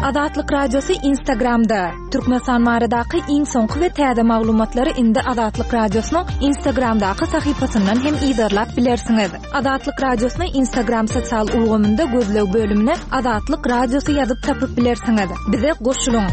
Azatlyk Radiosy Instagramda! Türkmenistan baradaky iň soňky we täze maglumatlary indi Azatlyk Radiosynyň Instagramdaky sahypasyndan hem yzarlap bilersiňiz. Azatlyk Radiosyny Instagram sosial ulgamynda gözleg bölümine Azatlyk Radiosy ýazyp tapyp bilersiňiz. Bize goşulyň!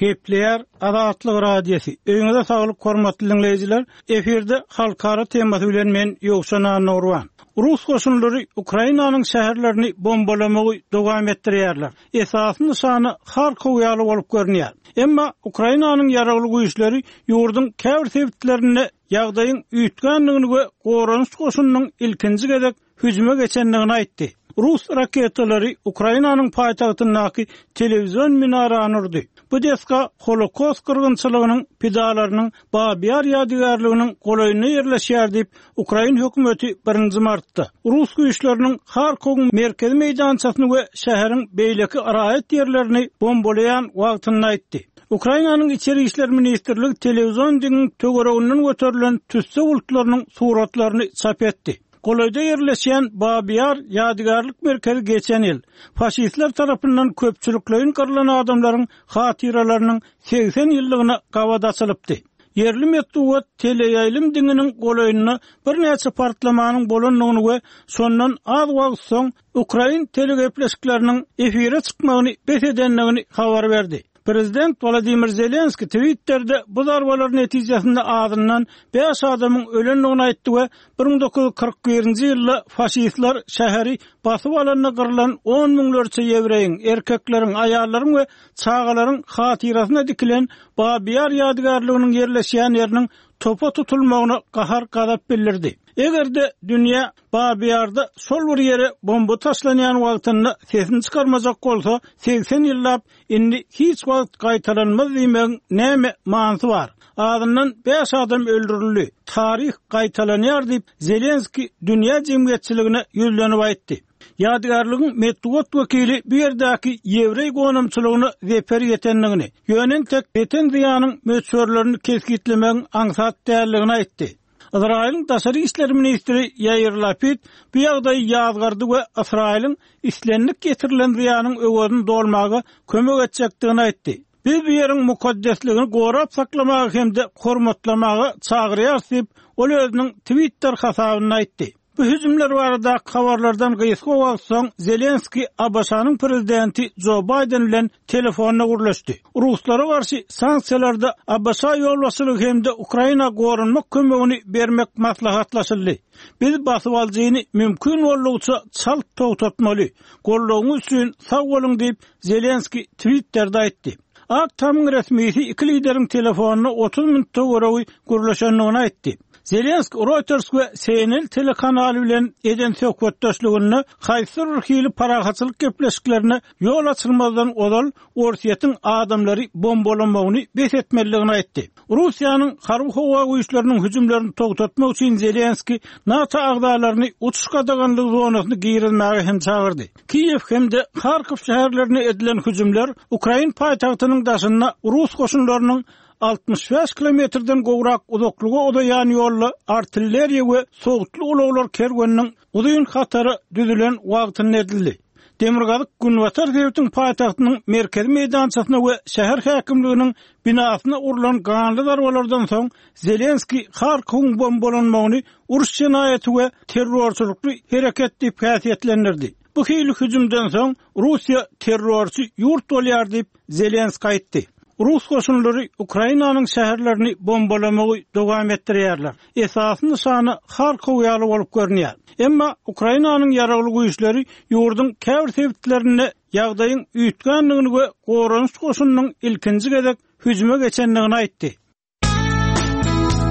Gepleýär Azatlyk Radiosy. Öýüňize saglyk hormatly diňleýjiler. Efirde halkara temasy bilen men Ýowşan Annagurban. Rus goşunlary Ukrainanyň şäherlerini bombalamagy dowam etdirýärler. Esasy nyşana Harkow ýaly bolup görünýär. Emma Ukrainanyň ýaragly güýçleri ýurduň käbir sebitlerinde ýagdaýyň üýtgändigini we goranyş goşunynyň ilkinji gezek hüjüme geçendigini aýtdy. Rus raketalary Ukrainanyň paýtagtyndaky telewizion minarany urdy. Bu desga Holokost gyrgynçylygynyň pidalarynyň Babi Ýar ýadygärliginiň golaýynda ýerleşýär diýip, ukrain hökümeti birinji martda, rus güýçleriniň Harkowyň merkezi meýdançasyny we şäheriň beýleki raýat ýerlerini bombalaýan wagtynda aýtdy. Ukrainanyň Içeri işler ministrligi telewizion diňiň töwereginden göterilen tüsse bulutlarynyň suratlaryny çap etdi. Golaýda ýerleşýän Babi Ýar ýadygärlik merkezi geçen ýyl, faşistler tarapyndan köpçülikleýin gyrlan adamlaryň hatyralarynyň 80 ýyllygyna gabat açylypdy. Ýerli metbugat teleýaýlym diňiniň golaýynda birnäçe partlamanyň bolandygyny we şondan az wagt soň ukrain telegepleşikleriniň efire çykmagyny bes edendigini habar berdi. Prezident Wolodymyr Zelenskiý Twitterde bu zarbalar netijesinde azyndan bäş adamyň ölendigini aýtdy we 1941-nji ýylda faşistler şäheri basyp alanda gyrlan on müňlerçe ýewreýiň, erkekleriň, aýallaryň we çagalaryň hatyrasyna dikilen Babi Ýar ýadygärliginiň ýerleşýän ýeriniň topa tutulmagyna gahar-gazap bildirdi. Eger-de dünýä Babi Ýarda şol bir ýere bomba taşlanýan wagtynda sesini çykarmajak bolsa, 80 ýyllap indi hiç wagt gaýtalanmaz diýmegiň näme manysy bar? Azyndan bäş adam öldürildi. Taryh gaýtalanýar diýip, Zelenskiý dünýä jemgyýetçiligine ýüzlenip aýtdy. Ýadygärligiň metbugat wekili bu ýerdäki ýewreý gonamçylygyna zeper ýetendigini, ýöne entek ýeten zyýanyň möçberlerini kesgitlemegiň aňsat däldigini aýtdy. Ysraýylyň daşary işler ministri Ýair Lapid bu ýagdaýy ýazgardy we Ysraýylyň islendik ýetirilen zyýanyň öwezini dolmaga kömek etjekdigini aýtdy. Biz bu ýeriň mukaddesligini gorap saklamaga hem-de hormatlamaga çagyrýarys diýip, ol özüniň Twitter hasabynda aýtdy. Bu hüjümler baradaky habarlardan gysga wagt soň Zelenskiý ABŞ-nyň prezidenti Jo Baýden bilen telefonda gürleşdi. Ruslara garşy sanksiýalarda ABŞ ýolbaşçylygy hem-de Ukraina goranmak kömegini bermek maslahatlaşyldy. Biz basybalyjyny mümkin boldugyça çalt togtatmaly. Goldawyňyz üçin sag boluň diýip, Zelenskiý Twitterde aýtdy. Ak tamyň resmisi iki lideriň telefonda 30 minut töweregi gürleşendigini aýtdy. Zelenskiý Reuters we CNN telekanaly bilen eden söhbetdeşliginde haýsydyr bir hili parahatçylyk gepleşiklerine ýol açylmazdan ozal Orsýetiň adamlary bombalamagyny bes etmelidigini aýtdy. Russiýanyň harby-howa güýçleriniň hüjümlerini togtatmak üçin Zelenskiý NATO agzalaryny uçuş gadaganlygy zonasyna girizmäge hem çagyrdy. Kiýew hem-de Harkow şäherlerine edilen hüjümler ukrain paýtagtynyň daşynda rus goşunlarynyň 65 kilometrden gowrak uzaklyga uzaýan ýolda artilleriýa we sowutly ulaglar kerweniniň uzyn hatary düzülen wagtynda edildi. Demirgazyk-günbatar sebitiň paýtagtynyň merkezi meýdançasyna we şäher häkimliginiň binasyna urlan ganly zarbalardan soň Zelenskiý Harkowyň bombalanmagyny uruş jenaýaty we terrorçylykly hereket diýip häsiýetlendirdi. Bu hili hüjümden soň Russiýa terrorçy ýurt bolýar diýip, Zelenskiý aýtdy. Rus goşunlary Ukrainanyň şäherlerini bombalamagy dowam etdirýärler. Esasy nyşana Harkow ýaly bolup görünýär. Emma Ukrainanyň ýaragly güýçleri ýurduň käbir sebitlerinde ýagdaýyň üýtgändigini we goranyş goşunynyň ilkinji gezek hüjüme geçendigini aýtdy.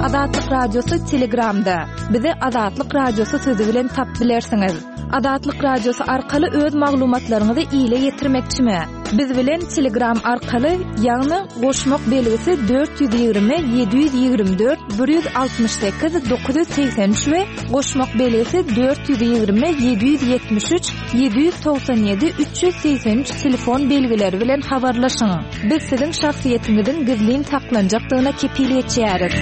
Azatlyk Radiosy Telegramda. Bizi Azatlyk Radiosy sözi bilen tapyp bilersiňiz. Azatlyk Radiosy arkaly öz maglumatlaryňyzy ile ýetirmekçimi? Biz bilen Telegram arkaly, ýagny goşmak belgisi 420 724 168 983 we goşmak belgisi 420 773 797 383 telefon belgileri bilen habarlaşyň. Biz siziň şahsyýetiňiziň gizlin saklanjakdygyna kepil geçýäris.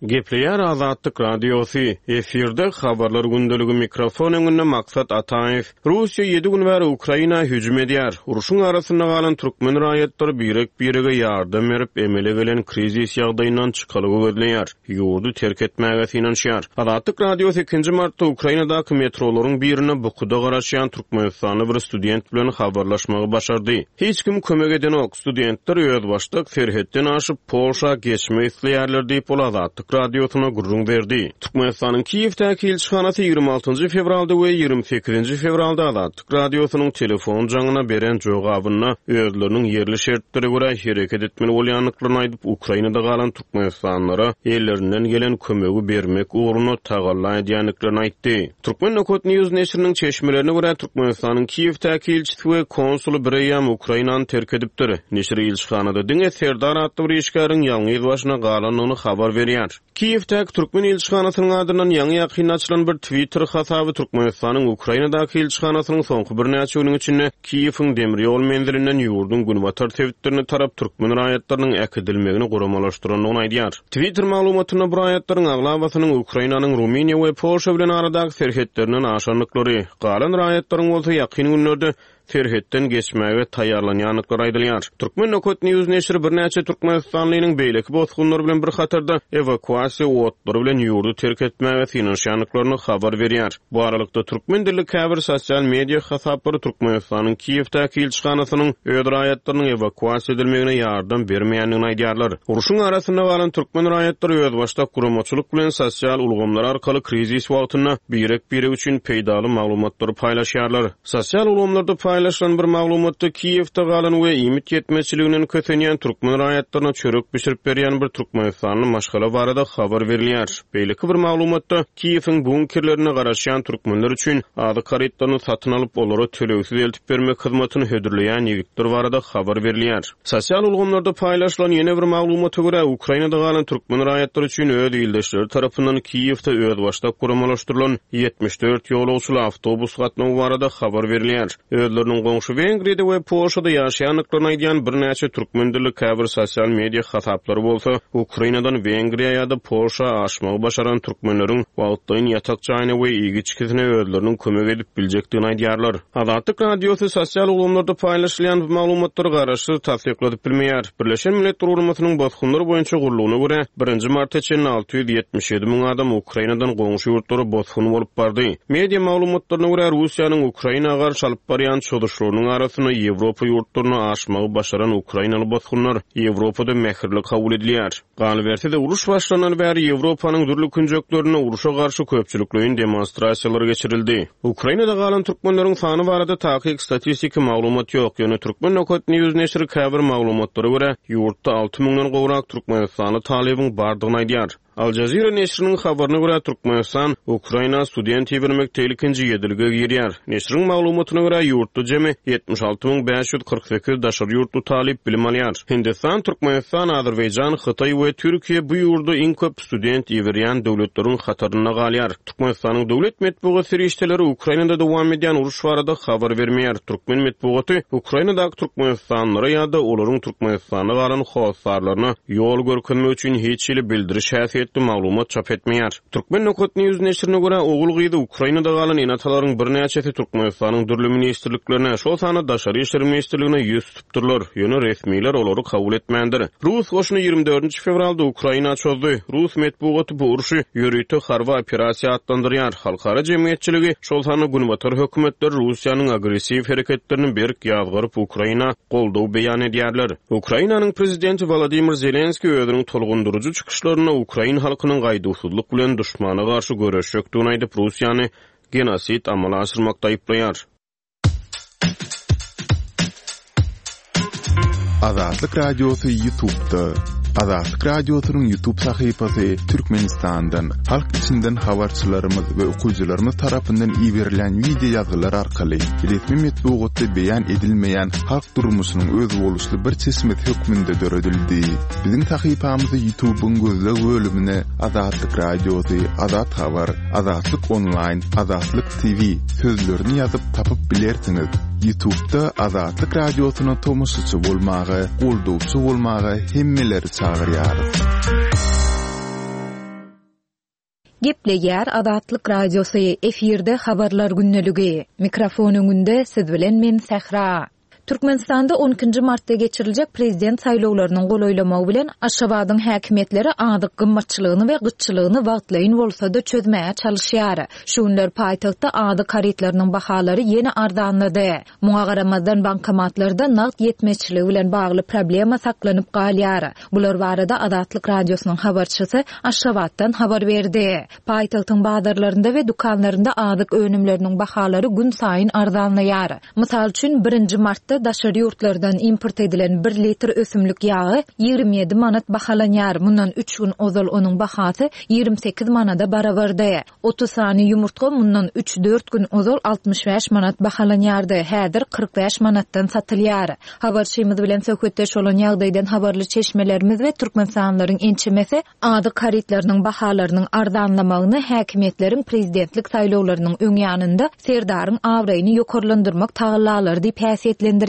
Gepleýär Azatlyk Radiosy, efirde Habarlar gündeligi mikrofon öňünde Maksat Ataýew. Russiýa ýedi gün bäri Ukraina hüjüm edýär. Urşuň arasynda galan türkmen raýatlary birek-birege ýardam berip, emele gelen krizis ýagdaýyndan çykalga gözleýär, ýurdy terk etmäge synanyşýar. Azatlyk Radiosy ikinji martda Ukrainadaky metrolaryň birinde bukuda garaşýan türkmenistanly bir student bilen habarlaşmagy başardy. Hiç kim kömek edenok. Studentler özbaşdak serhetden aşyp, Polşa geçmek isleýärler diýip, ol Azatlyk Radiosyna gürrüň berdi. Türkmenistanyň Kiýewdäki ilçihanasy 26 fewralda we 28 fewralda Azatlyk Radiosynyň telefon jaňyna beren jogabynda özleriniň ýerli şertlere görä hereket etmeli bolýandyklaryny aýdyp, Ukrainada galan türkmenistanlylara ellerinden gelen kömegi bermek ugrunda tagalla edýändiklerini aýtdy. Turkmen Nokat News neşiriniň çeşmelerine görä, Türkmenistanyň Kiýewdäki ilçisi we konsuly bireýýäm Ukrainany terk edipdir. Neşir ilçihanada diňe Serdar atly bir işgäriň ýalňyz başyna galandygyny habar berýär. Kiýewdäki türkmen ilçihanasynyň adyndan ýaňy-ýakynda açylan bir Twitter hasaby Türkmenistanyň Ukrainadaky ilçihanasynyň soňky birnäçe günüň içinde Kiýewiň demir ýol menzilinden ýurduň günbatar sebitlerine tarap türkmen raýatlarynyň äkidilmegini guramalaşdyrandygyny aýdýar. Twitter maglumatynda bu raýatlaryň aglabasynyň Ukrainanyň Rumyniýa we Polşa bilen aradaky serhetlerinden aşandyklary, galan raýatlaryň bolsa ýakyn günlerde serhetden geçmäge taýýarlanýandyklary aýdylýar. Turkmen. News neşiri birnäçe türkmenistanlynyň beýleki bosgunlar bilen bir hatarda ewakuasiýa otlary bilen ýurdy terk etmäge synanyşýandyklaryny habar berýär. Bu aralykda, türkmen dilli käbir sosial media hasaplary Türkmenistanyň Kiýewdäki ilçihanasynyň öz raýatlarynyň ewakuasiýa edilmegine ýardam bermeýändigini aýdýarlar. Urşuň arasynda galan türkmen raýatlary özbaşdak guramaçylyk bilen sosial ulgamlar arkaly krizis wagtynda birek-birek üçin peýdaly maglumatlary paýlaşýarlar. Sosial ulgamlarda paýlaşylan bir maglumatda Kiýewde galan we iýmit ýetmezçiliginden kösenýän türkmen raýatlaryna çörek bişirip berýän bir türkmenistanly maşgala barada habar berilýär. Beýleki bir maglumatda, Kiýewiň bunkerlerinde garaşýan türkmenler üçin azyk harytlaryny satyn alyp, olara tölegsiz eltip bermek hyzmatyny hödürleýän ýigitler barada habar berilýär. Sosial ulgamlarda paýlaşylan ýene bir maglumata görä, Ukrainada galan türkmen raýatlary üçin öz ildeşleri tarapyndan Kiýewde özbaşdak guramalaşdyrylan 74 ýolagçyly awtobus gatnawy barada habar berilýär. Özleriniň goňşy Wengriýada we Polşada ýaşaýandyklaryny aýdýan birnäçe türkmen dilli käbir sosial media hasaplary bolsa, Ukrainadan Wengriýa ýa-da Polşa aşmagy başaran türkmenleriň wagtlaýyn ýatak jaýyna we iýgi-içgisine özleriniň kömek edip biljekdigini aýdýarlar. Azatlyk Radiosy sosial ulgamlarda paýlaşylýan bu maglumatlary garaşsyz tassykladyp bilmeýär. Birleşen Milletler Guramasynyň Bosgunlar boýunça gullugyna görä, birinji marta çenli 677 müň adam Ukrainadan goňşy ýurtlara bosgun bolup bardy. Media maglumatlaryna görä, Russiýanyň Ukraina garşy alyp barýan çozuşlarynyň arasynda Ýewropa ýurtlaryna aşmagy başaran ukrainaly bosgunlar Ýewropada mähirli kabul edilýär. Galyberse-de, uruş başlanany bäri Ýewropanyň dürli künjeklerinde urşa garşy köpçülikleýin demonstrasiýalar geçirildi. Ukrainada galan türkmenleriň sany barada takyk statistiki maglumat ýok, ýöne Turkmen. News neşiri käbir maglumatlara görä, ýurtda alty müňden gowrak türkmenistanly talybyň bardygyny aýdýar. Al Jazeera neşiriniň habaryna görä, Türkmenistan Ukraina student ibermekde ilkinji ýedilige girýär. Neşiriň maglumatyna görä, ýurtda jemi 76 548 daşary ýurtly talyp bilim alýar. Hindistan, Türkmenistan, Azerbaýjan, Hytaý we Türkiýe bu ýurda iň köp student iberýän döwletleriň hatarynda galýar. Türkmenistanyň döwlet metbugat serişdeleri Ukrainada dowam edýän uruş barada habar bermeýär. Türkmen metbugaty Ukrainadaky türkmenistanlylara ýa-da olaryň Türkmenistanda galan hossarlaryna ýol görkezmek üçin hiç hili bildiriş häsiýetli maglumat çap etmeýär. Turkmen. News neşirine görä, ogul-gyzy Ukrainada galan ene-atalaryň birnäçesi Türkmenistanyň dürli ministrliklerine, şol sanda Daşary işler ministrligine ýüz tutupdyrlar, ýöne resmiler olary kabul etmändir. Rus goşuny 24 fewralda Ukraina çozdy. Rus metbugaty bu urşy ýörite harby operasiýa atlandyrýar. Halkara jemgyýetçiligi, şol sanda günbatar hökümetleri Russiýanyň agressiw hereketlerini berk ýazgaryp, Ukraina goldaw beýan edýärler. Ukrainanyň prezidenti Wolodymyr Zelenskiý özüniň tolgundyryjy çykyşlarynda ukrain halkynyň gaýduwsyzlyk bilen duşmana garşy göreşjekdigini aýdyp, Russiýany genosid amala aşyrmakda aýyplaýar. Azatlyk Radiosy YouTube'da. Azatlyk Radiosynyň YouTube sahypasy Türkmenistandan, halk içinden habarçylarymyz we okyjylarymyz tarapyndan iberilen wideo ýazgylar arkaly resmi metbugatda beýan edilmeýän halk durmuşynyň özboluşly bir çeşmesi hökmünde döredildi. Biziň sahypamyzy YouTube'yň gözleg bölümine Azatlyk Radiosy, Azat Habar, Azatlyk Onlaýn, Azatlyk TV sözlerini ýazyp tapyp bilersiňiz. Ýutubda Azatlyk Radiosyna tomaşaçy bolmaga, goldawçy bolmaga hemmeleri çagyrýarys. Gepleýär Azatlyk Radiosy, efirde Habarlar gündeligi. Mikrofon öňünde siz bilen men Sähra. Türkmenistanda on ikinji martda geçiriljek prezident saýlawlarynyň golaýlamagy bilen Aşgabadyň häkimiýetleri azyk gymmatçylygyny we gytçylygyny wagtlaýyn bolsa-da çözmäge çalyşýar. Şu günler paýtagtda azyk harytlarynyň bahalary ýene arzanlady. Muňa garamazdan, bankomatlarda nagt ýetmezçiligi bilen bagly problema saklanyp galýar. Bular barada Azatlyk Radiosynyň habarçysy Aşgabatdan habar berdi. Paýtagtyň bazarlarynda we dükanlarynda azyk önümleriniň bahalary günsaýyn arzanlaýar. Mysal üçin, birinji martda daşary ýurtlardan import edilen bir litr ösümlik ýagy 27 manat bahalanýar, mundan üç gün ozal onuň bahasy 28 manada barabardy. 30 sany ýumurtga mundan üç-dört gün ozal 65 manat bahalanýardy, häzir 45 manatdan satylýar. Habarçymyz bilen söhbetdeş bolan ýagdaýdan habarly çeşmelerimiz we türkmenistanlylaryň ençemesi Azyk harytlarynyň bahalarynyň arzanlamagyny häkimiýetleriň prezidentlik saýlawlarynyň öň ýanynda Serdaryň abraýyny ýokarlandyrmak tagallalary diýip häsiýetlendirýärler.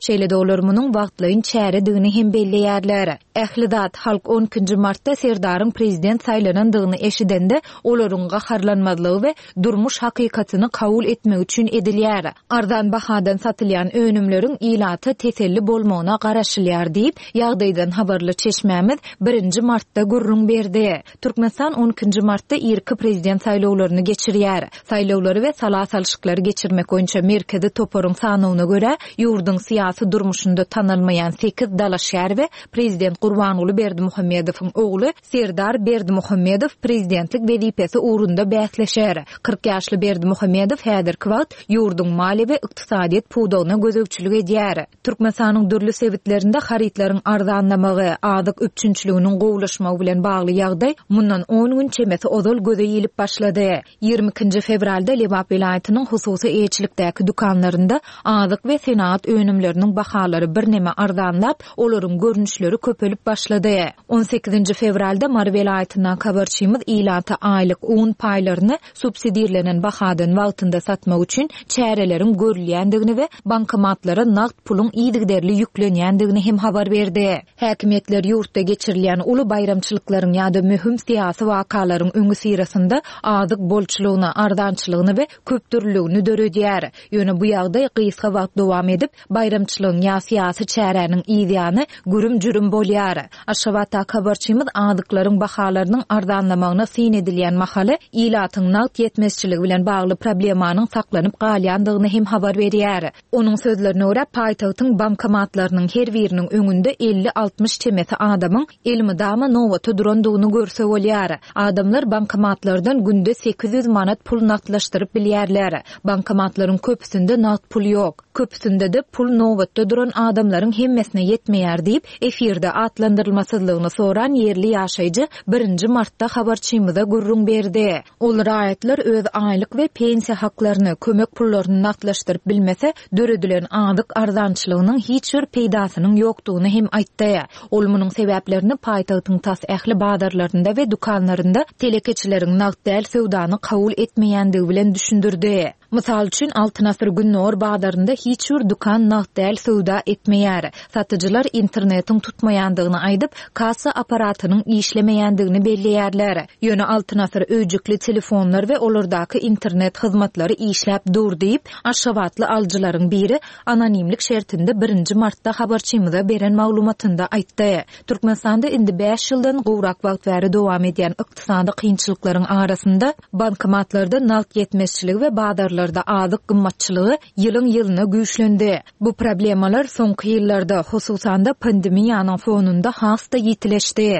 Şeýle-de olar munuň wagtlaýyn çäredigini hem belleýärler. Ähli zat, halk on ikinji martda Serdaryň prezident saýlanandygyny eşidende, olaryň gaharlanmazlygy we durmuş hakykatyny kabul etmegi üçin edilýär. Arzan bahadan satylýan önümleriň ilata teselli bolmagyna garaşylýar diýip, ýagdaýdan habarly çeşmämiz birinji martda gürrüň berdi. Türkmenistan on ikinji martda irki prezident saýlawlaryny geçirýär. Saýlawlary we sala salşyklary geçirmek boýunça merkezi toparyň sanawyna görä, ýurduň syýasy durmuşynda tanalmaýan sekiz dalaşgär we prezident Gurbanguly Berdimuhamedowyň ogly Serdar Berdimuhamedow prezidentlik wezipesi ugrunda bäsleşer. 40 ýaşly Berdimuhamedow häzirki wagt ýurduň maliýe we ykdysadyýet pudagyna gözegçilik edýär. Türkmenistanyň dürli sebitlerinde harytlaryň arzanlamagy, azyk üpjünçiliginiň gowulaşmagy bilen bagly ýagdaý mundan on gün çemesi ozal göze ilip başlady. 22-nji fewralda Lebap welaýatynyň hususy eýeçilikdäki dükanlarynda azyk we senagat önümleriniň bahalary birneme arzanlap, olaryň görnüşleri köpelip başlady. On sekizinji fewralda Mary welaýatyndaky habarçymyz ilata aýlyk un paýlaryny subsidirlenen bahadan wagtynda satmak üçin çäreleriň görülýändigini we bankomatlara nagt puluň yzygiderli ýüklenýändigini hem habar berdi. Häkimiýetler ýurtda geçirilýän uly baýramçylyklaryň ýa-da möhüm syýasy wakalaryň öňüsyrasynda azyk bolçulygyny, arzançylygyny we köpdürlüligini döredýär. Ýöne bu ýagdaý gysga wagt dowam edip, baýramçylygyň ýa syýasy çäräniň yzýany gürüm-jürüm bolýar. Aşgabatdaky habarçymyz azyklaryň bahalarynyň arzanlamagyna syn edilýän mahaly ilatyň nagt ýetmezçiligi bilen bagly problemanyň saklanyp galýandygyny hem habar berýär. Onuň sözlerine görä, paýtagtyň bankomatlarynyň her biriniň öňünde elli-altmyş çemesi adamyň elmydama nobata durandygyny görse bolýar. Adamlar bankomatlardan günde 800 manat pul nagtlaşdyryp bilýärler. Bankomatlaryň köpüsinde nagt pul ýok. Köpüsinde-de pul nobatda duran adamlaryň hemmesine ýetmeýär diýip, efirde atlandyrylmasyzlygyny soran ýerli ýaşaýjy birinji martda habarçymyza gürrüň berdi. Ol raýatlar öz aýlyk we pensiýa haklaryny, kömek pullaryny nagtlaşdyryp bilmese, döredilen azyk arzançylygynyň hiç bir peýdasynyň ýokdugyny hem aýtdy. Ol munuň sebäplerini paýtagtyň tas ähli bazarlarynda we dükanlarynda telekeçileriň nagt däl söwdany kabul etmeýändigi bilen düşündirdi. Mysal üçin, Altyn asyr Gündogar bazarynda hiç bir dükan nagt däl söwda etmeýär. Satyjylar internetiň tutmaýandygyny aýdyp, kassa apparatynyň işlemeýändigini belleýärler. Ýöne Altyn asyr öýjükli telefonlar we olardaky internet hyzmatlary işläp dur diýip, aşgabatly alyjylaryň biri anonimlik şertinde birinji martda habarçymyza beren maglumatynda aýtdy. Türkmenistanda indi bäş ýyldan gowrak wagt bäri dowam edýän ykdysady kynçylyklaryň arasynda bankomatlarda nagt ýetmezçiligi we bazarlarda azyk gymmatçylygy ýylyň-ýylyna güýçlendi. Bu problemalar soňky ýyllarda, hususan-da pandemiýanyň fonunda has-da ýitileşdi.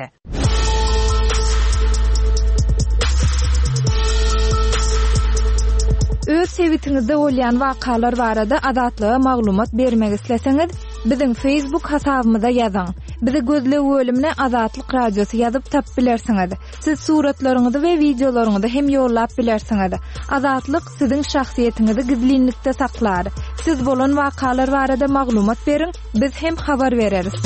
Öz sebitiňizde bolýan wakalar barada Azatlyga maglumat bermek isleseňiz, biziň Facebook hasabymyza ýazyň. Bizi gözleg bölümine Azatlyk Radiosy ýazyp tapyp bilersiňiz. Siz suratlaryňyzy we wideolaryňyzy hem ýollap bilersiňiz. Azatlyk siziň şahsyýetiňizi gizlinlikde saklar. Siz bolan wakalar barada maglumat beriň, biz hem habar bereris.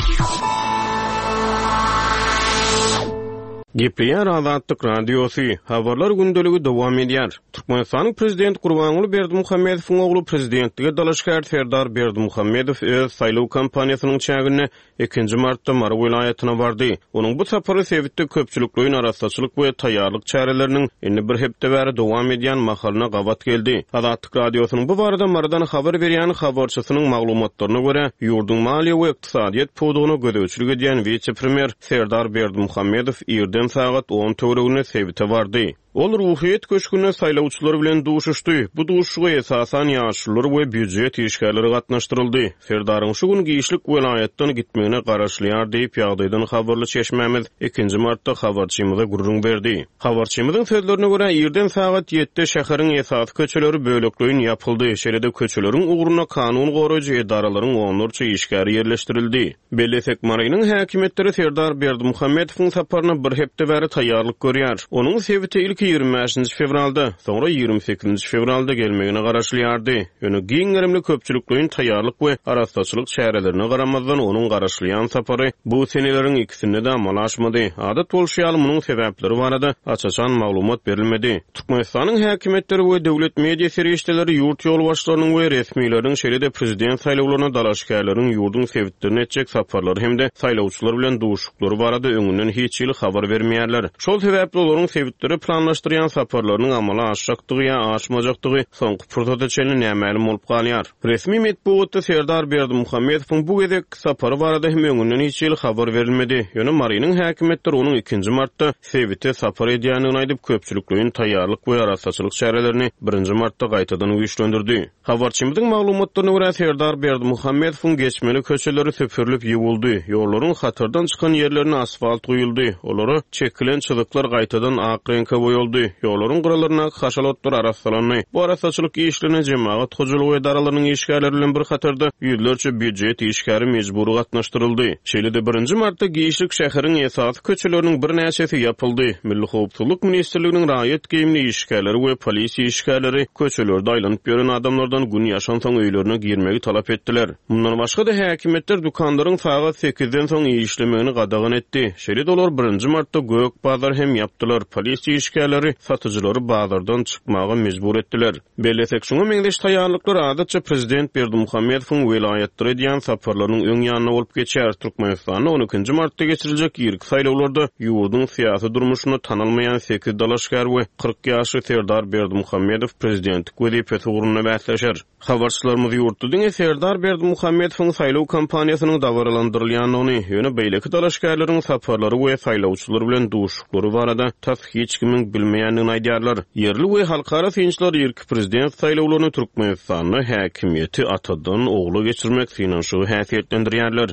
Gepleýär Azatlyk Radiosy, Habarlar gündeligi dowam edýär. Türkmenistanyň Prezidenti Gurbanguly Berdimuhamedowyň ogly prezidentlige dalaşgär Serdar Berdimuhamedow öz saýlaw kampaniýasynyň çäginde ikinji martda Mary welaýatyna bardy. Onuň bu sapary sebitde köpçülikleýin arassaçylyk we taýýarlyk çäreleriniň indi bir hepde bäri dowam edýän mahalyna gabat geldi. Azatlyk Radiosynyň bu barada Marydan habar berýän habarçysynyň maglumatlaryna görä, ýurduň maliýe we ykdysadyýet pudagyna gözegçilik edýän wise-premýer Serdar Berdimuhamedow irden sagat on töwereginde sebite bardy. Ol Ruhyýet köşgünde saýlawçylar bilen duşuşdy. Bu duşuşyga esasan ýaşulular we býujet işgärleri gatnaşdyryldy. Serdaryň şu gün giçlik welaýatdan gitmegine garaşylýar diýip, ýagdaýdan habarly çeşmämiz ikinji martda habarçymyza gürrüň berdi. Habarçymyzyň sözlerine görä, irden sagat ýedide şäheriň esasy köçeleri bölekleýin ýapyldy, şeýle-de köçeleriň ugrunda kanun goraýjy edaralaryň onlarça işgäri ýerleşdirildi. Bellesek, Marynyň häkimiýetleri Serdar Berdimuhamedowyň saparyna bir hepde bäri taýýarlyk görýär. Onuň sebite ilki 25 nji fewralda, soňra 28 nji fewralda gelmegine garaşylýardy. Ýöne giň gerimli köpçülikleýin taýýarlyk we arassaçylyk çärelerine garamazdan, onuň garaşylýan sapary bu seneleriň ikisinde-de amala aşmady. Adat bolşy ýaly, munuň sebäpleri barada aç-açan maglumat berilmedi. Türkmenistanyň häkimiýetleri we döwlet media serişdeleri ýurt ýolbaşçylarynyň we resmileriniň, şeýle-de prezident saýlawlaryna dalaşgärleriň ýurduň sebitlerine etjek saparlary hem-de saýlawçylar bilen duşuşyklary barada öňünden hiç hili habar bermeýärler. Şol sebäpli olaryň sebitlere planlaşdyrýan saparlarynyň amala aşjakdygy ýa aşmajakdygy soňky pursata çenli nämälim bolup galýar. Resmi metbugatda Serdar Berdimuhamedowyň bu gezekki sapary barada hem öňünden hiç hili habar berilmedi. Ýöne Marynyň häkimiýetleri onuň ikinji martda sebite sapar edýändigini aýdyp, köpçülikleýin taýýarlyk we arassaçylyk çärelerini birinji martda gaýtadan güýçlendirdi. Habarçymyzyň maglumatlaryna görä, Serdar Berdimuhamedowyň geçmeli köçeleri süpürilip ýuwuldy, ýollaryň hatardan çykan ýerlerine asfalt guýuldy, olara çekilen çyzyklar gaýtadan ak reňke boýaldy, ýollaryň gyralaryndaky haşal otlar arassalandy. Bu arassaçylyk işlerine jemagat hojalygy edaralarynyň işgärleri bilen bir hatarda ýüzlerçe býujet işgäri mejbury gatnaşdyryldy. Şeýle-de birinji martda giçlik şäheriň esasy köçeleriniň birnäçesi ýapyldy. Milli howpsuzlyk ministrliginiň raýat geýimli işgärleri we polisiýa işgärleri köçelerde aýlanyp ýören adamlardan gün ýaşansoň öýlerine girmegi talap etdiler. Mundan başga-da, häkimiýetler dükanlaryň sagat sekizden soň işlemegini gadagan etdi. Şeýle-de olar birinji martda gök bazary hem ýapdylar, polisiýa işgärleri satyjylary bazardan çykmaga mejbur etdiler. Bellesek, şuňa meňzeş taýýarlyklar adatça prezident Berdimuhamedowyň welaýatlara edýän saparlarynyň öň ýanynda bolup geçýär. Türkmenistanda on ikinji martda geçiriljek irki saýlawlarda ýurduň syýasy durmuşynda tanalmaýan sekiz dalaşgär we 40 ýaşly Serdar Berdimuhamedow prezidentlik wezipesi ugrunda bäsleşer. Habarçylarymyz ýurtda diňe Serdar Berdimuhamedowyň saýlaw kampaniýasynyň dabaralandyrylýandygyny, ýöne beýleki dalaşgärleriň saparlary we saýlawçylar bilen duşuşyklary barada tas hiç kimiň bilmeýändigini aýdýarlar. Ýerli we halkara synçylar irki prezident saýlawlaryny Türkmenistanda häkimiýeti atadan ogla geçirmek synanyşygy häsiýetlendirýärler.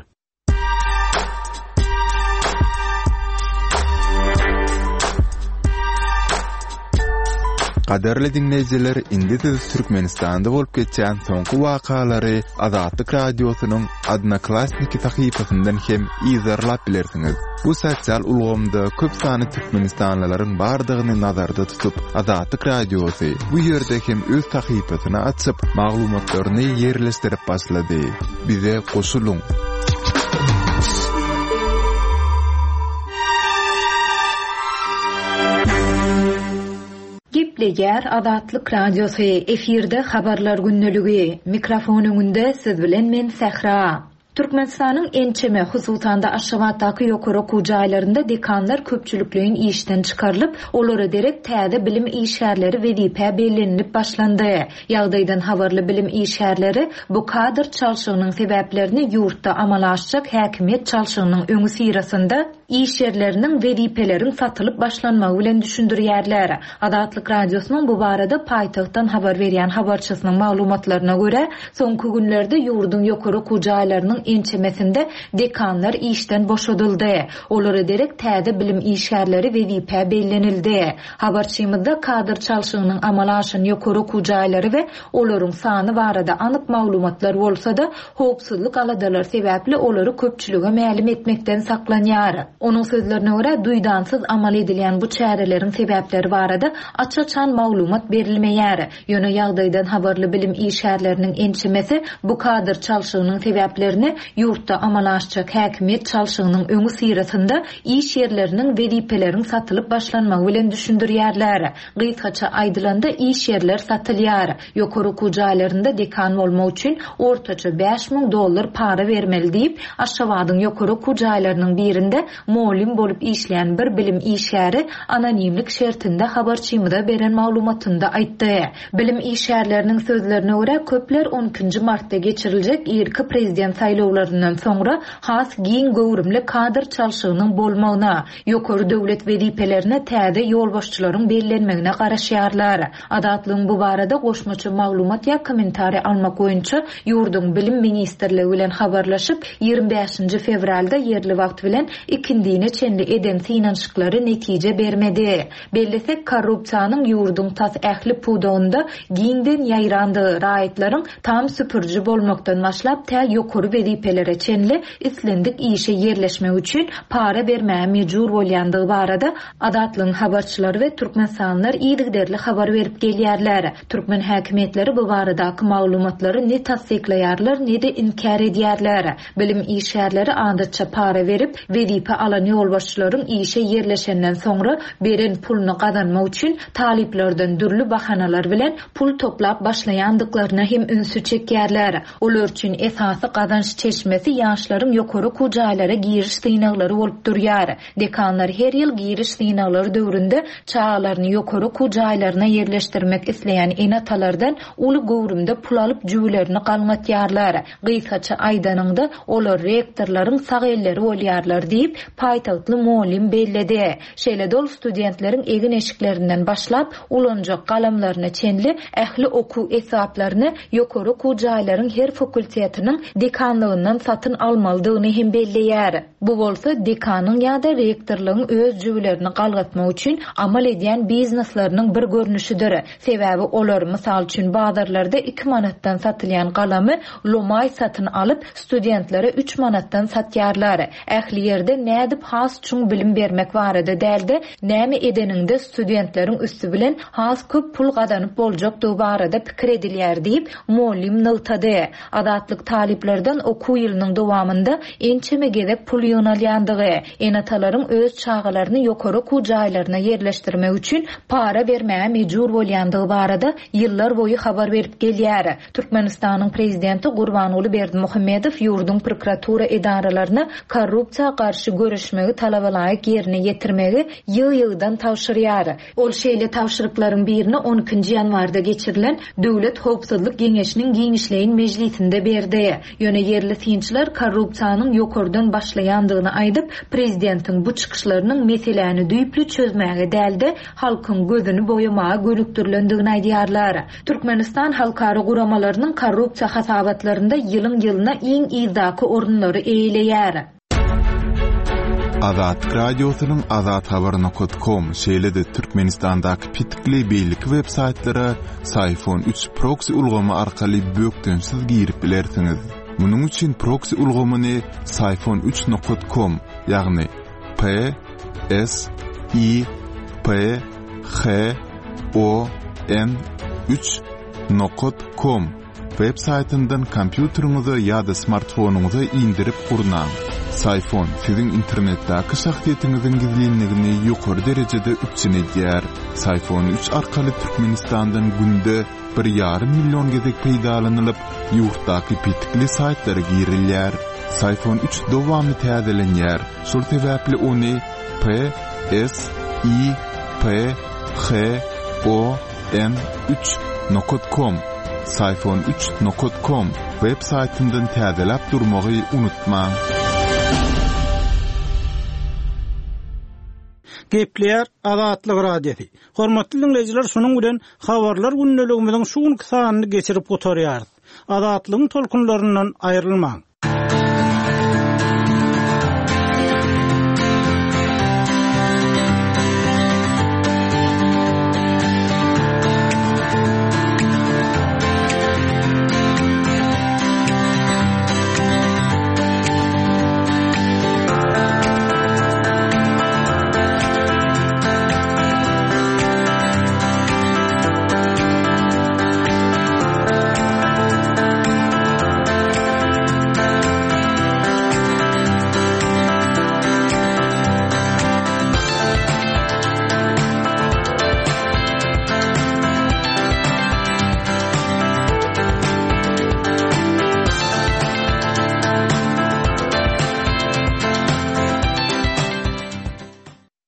Gadyrly diňleýjiler, indi siz Türkmenistanda bolup geçýän soňky wakalary Azatlyk Radiosynyň Odnoklassniki sahypasyndan hem yzarlap bilersiňiz. Bu sosial ulgamda köp sanly türkmenistanlylaryň bardygyny nazarda tutup, Azatlyk Radiosy bu ýerde hem öz sahypasyny açyp, maglumatlaryny ýerleşdirip başlady. Bize goşulyň! Gepleýär Azatlyk Radiosy, efirde Habarlar gündeligi. Mikrofon öňünde siz bilen men Sähra. Türkmenistanyň ençeme, hususan-da Aşgabatdaky ýokary okuw jaýlarynda dekanlar köpçülikleýin işden çykarylyp, olara derek täze bilim işgärleri wezipä bellenilip başlandy. Ýagdaýdan habarly bilim işgärleri bu kadr çalşygynyň sebäplerini ýurtda amala aşjak häkimiýet çalşygynyň öňüsyrasynda iş ýerleriniň, wezipeleriň satylyp başlanmagy bilen düşündirýärler. Azatlyk Radiosynyň bu barada paýtagtdan habar berýän habarçysynyň maglumatlaryna görä, soňky günlerde ýurduň ýokary okuw jaýlarynyň ençemesinde dekanlar işden boşadyldy. Olara derek täze bilim işgärleri wezipä bellenildi. Habarçymyzda kadr çalşygynyň amala aşan ýokary okuw jaýlary we olaryň sany barada anyk maglumatlar bolsa-da, howpsuzlyk aladalary sebäpli olary köpçülige mälim etmekden saklanýar. Onuň sözlerine görä, duýdansyz amal edilýän bu çäreleriň sebäpleri barada aç-açan maglumat berilmeýär. Ýöne ýagdaýdan habarly bilim işgärleriniň ençemesi bu kadr çalşygynyň sebäplerini. ýurtda amala aşjak häkimiýet çalşygynyň öňüsyrasynda iş ýerleriniň wezipeleriň satylyp başlanmagy bilen düşündirýärler. Gysgaça aýdylanda, iş ýerler satylýar. Ýokary okuw jaýlarynda dekan bolmak üçin ortaça 5000 dollar para bermeli diýip, Aşgabadyň ýokary okuw jaýlarynyň birinde mugallym bolup işleýän bir bilim işgäri anonimlik şertinde habarçymyza beren maglumatynda aýtdy. Bilim işgärleriniň sözlerine görä, köpler on ikinji martda geçiriljek irki prezident saýlawlaryndan soňra has giň göwrümli kadr çalşygynyň bolmagyna, ýokary döwlet wezipelerine täze ýolbaşçylaryň bellenmegine garaşýarlar. Azatlygyň bu barada goşmaça maglumat ýa kommentariý almak boýunça ýurduň Bilim ministrligi bilen habarlaşyp, 25-nji fewralda ýerli wagt bilen ikindine çenli eden synanyşyklary netije bermedi. Bellesek, korrupsiýanyň ýurduň tas ähli pudagynda giňden ýaýrandygy, raýatlaryň tam süpüriji bolmakdan başlap tä ýokary wezipelere çenli islendik işe ýerleşmek üçin para bermäge mejbur bolýandygy barada Azatlygyň habarçylary we türkmenistanlylar yzygiderli habar berip gelýärler. Türkmen häkimiýetleri bu baradaky maglumatlary ne tassyklaýarlar, ne-de inkär edýärler. Bilim işgärleri adatça para berip, wezipe alan ýolbaşçylaryň işe ýerleşenden soňra beren puluny gazanmak üçin talyplardan dürli bahanalar bilen pul toplap başlaýandyklaryna hem ünsi çekýärler. Olar üçin esasy gazanç çeşmesi ýaşlaryň ýokary okuw jaýlara giriş synaglary bolup durýar. Dekanlar her ýyl giriş synaglary döwründe çagalaryny ýokary okuw jaýlaryna ýerleşdirmek isleýän ene-atalardan uly göwrümde pul alyp jübülerini galňatýarlar. Gysgaça aýdanyňda, olar rektorlaryň sag elleri bolýarlar diýip, paýtagtly mugallym belledi. Şeýle-de ol studentleriň egin-eşiklerinden başlap, ulanjak galamlaryna çenli ähli okuw esbaplaryny ýokary okuw jaýlaryň her fakultetiniň dekanlygyndan satyn almalydygyny hem belleýär. Bu bolsa dekanyň ýa-da rektorlygyň öz jübülerini galgatmak üçin amal edýän biznesleriniň bir görnüşidir. Sebäbi olar, mysal üçin, bazarlarda iki manatdan satylýan galamy lomaý satyn alyp, studentlere üç manatdan satýarlar. Ähli ýerde nädip has çuň bilim bermek barada däl-de, näme edeniňde studentleriň üsti bilen has köp pul gazanyp boljakdygy barada pikir edilýär diýip, mugallym nygtady. Azatlyk talyplardan okuw ýylynyň dowamynda ençeme gezek pul ýygnalýandygy, ene-atalaryň öz çagalaryny ýokary okuw jaýlaryna ýerleşdirmek üçin para bermäge mejbur bolýandygy barada ýyllar boýy habar berip gelýär. Türkmenistanyň prezidenti Gurbanguly Berdimuhamedow ýurduň prokuratura edaralaryna korrupsiýa garşy göreşmegi talabalaýyk ýerine ýetirmegi ýygy-ýygydan tabşyrýar. Ol şeýle tabşyryklaryň birini on ikinji ýanwarda geçirilen Döwlet howpsuzlyk geňeşiniň giňişleýin mejlisinde berdi. Ýöne ýerli synçylar korrupsiýanyň ýokardan başlaýandygyny aýdyp, prezidentiň bu çykyşlarynyň meseläni düýpli çözmäge däl-de, halkyň gözüni boýamaga gönükdirilendigini aýdýarlar. Türkmenistan halkara guramalarynyň korrupsiýa hasabatlarynda ýylyň-ýylyna iň yzdaky orunlary eýeleýär. Azatlyk Radiosynyň azathabar.com, şeýle-de Türkmenistandaky petikli beýleki web saýtlara Syfon 3 proksi ulgamy arkaly bökdençsiz girip bilersiňiz. Munuň üçin proksi ulgamyny syfon 3 nokat com, ýagny P S I P H O N 3 nokat com Web saýtyndan kompýuteriňize ýa-da smartfonyňyza indirip gurnaň. Syfon siziň internetdäki şahsyýetiňiziň gizlinligini ýokary derejede üpjün edýär. Syfon 3 arkaly Türkmenistandan günde bir ýarym million gezek peýdalanylyp, ýurtdaky petikli saýtlara girilýär. Syfon 3 dowamly täzelenýär, şol sebäpli ony P S I P H O N 3 nokat kom Syfon 3 nokat kom web saýtyndan täzeläp durmagy unutmaň. Gepleýär Azatlyk Radiosy. Hormatly diňleýjiler şunuň bilen Habarlar gündeligimiziň şu günki sanyny geçirip gutarýarys. Azatlygyň tolkunlaryndan aýrylmaň.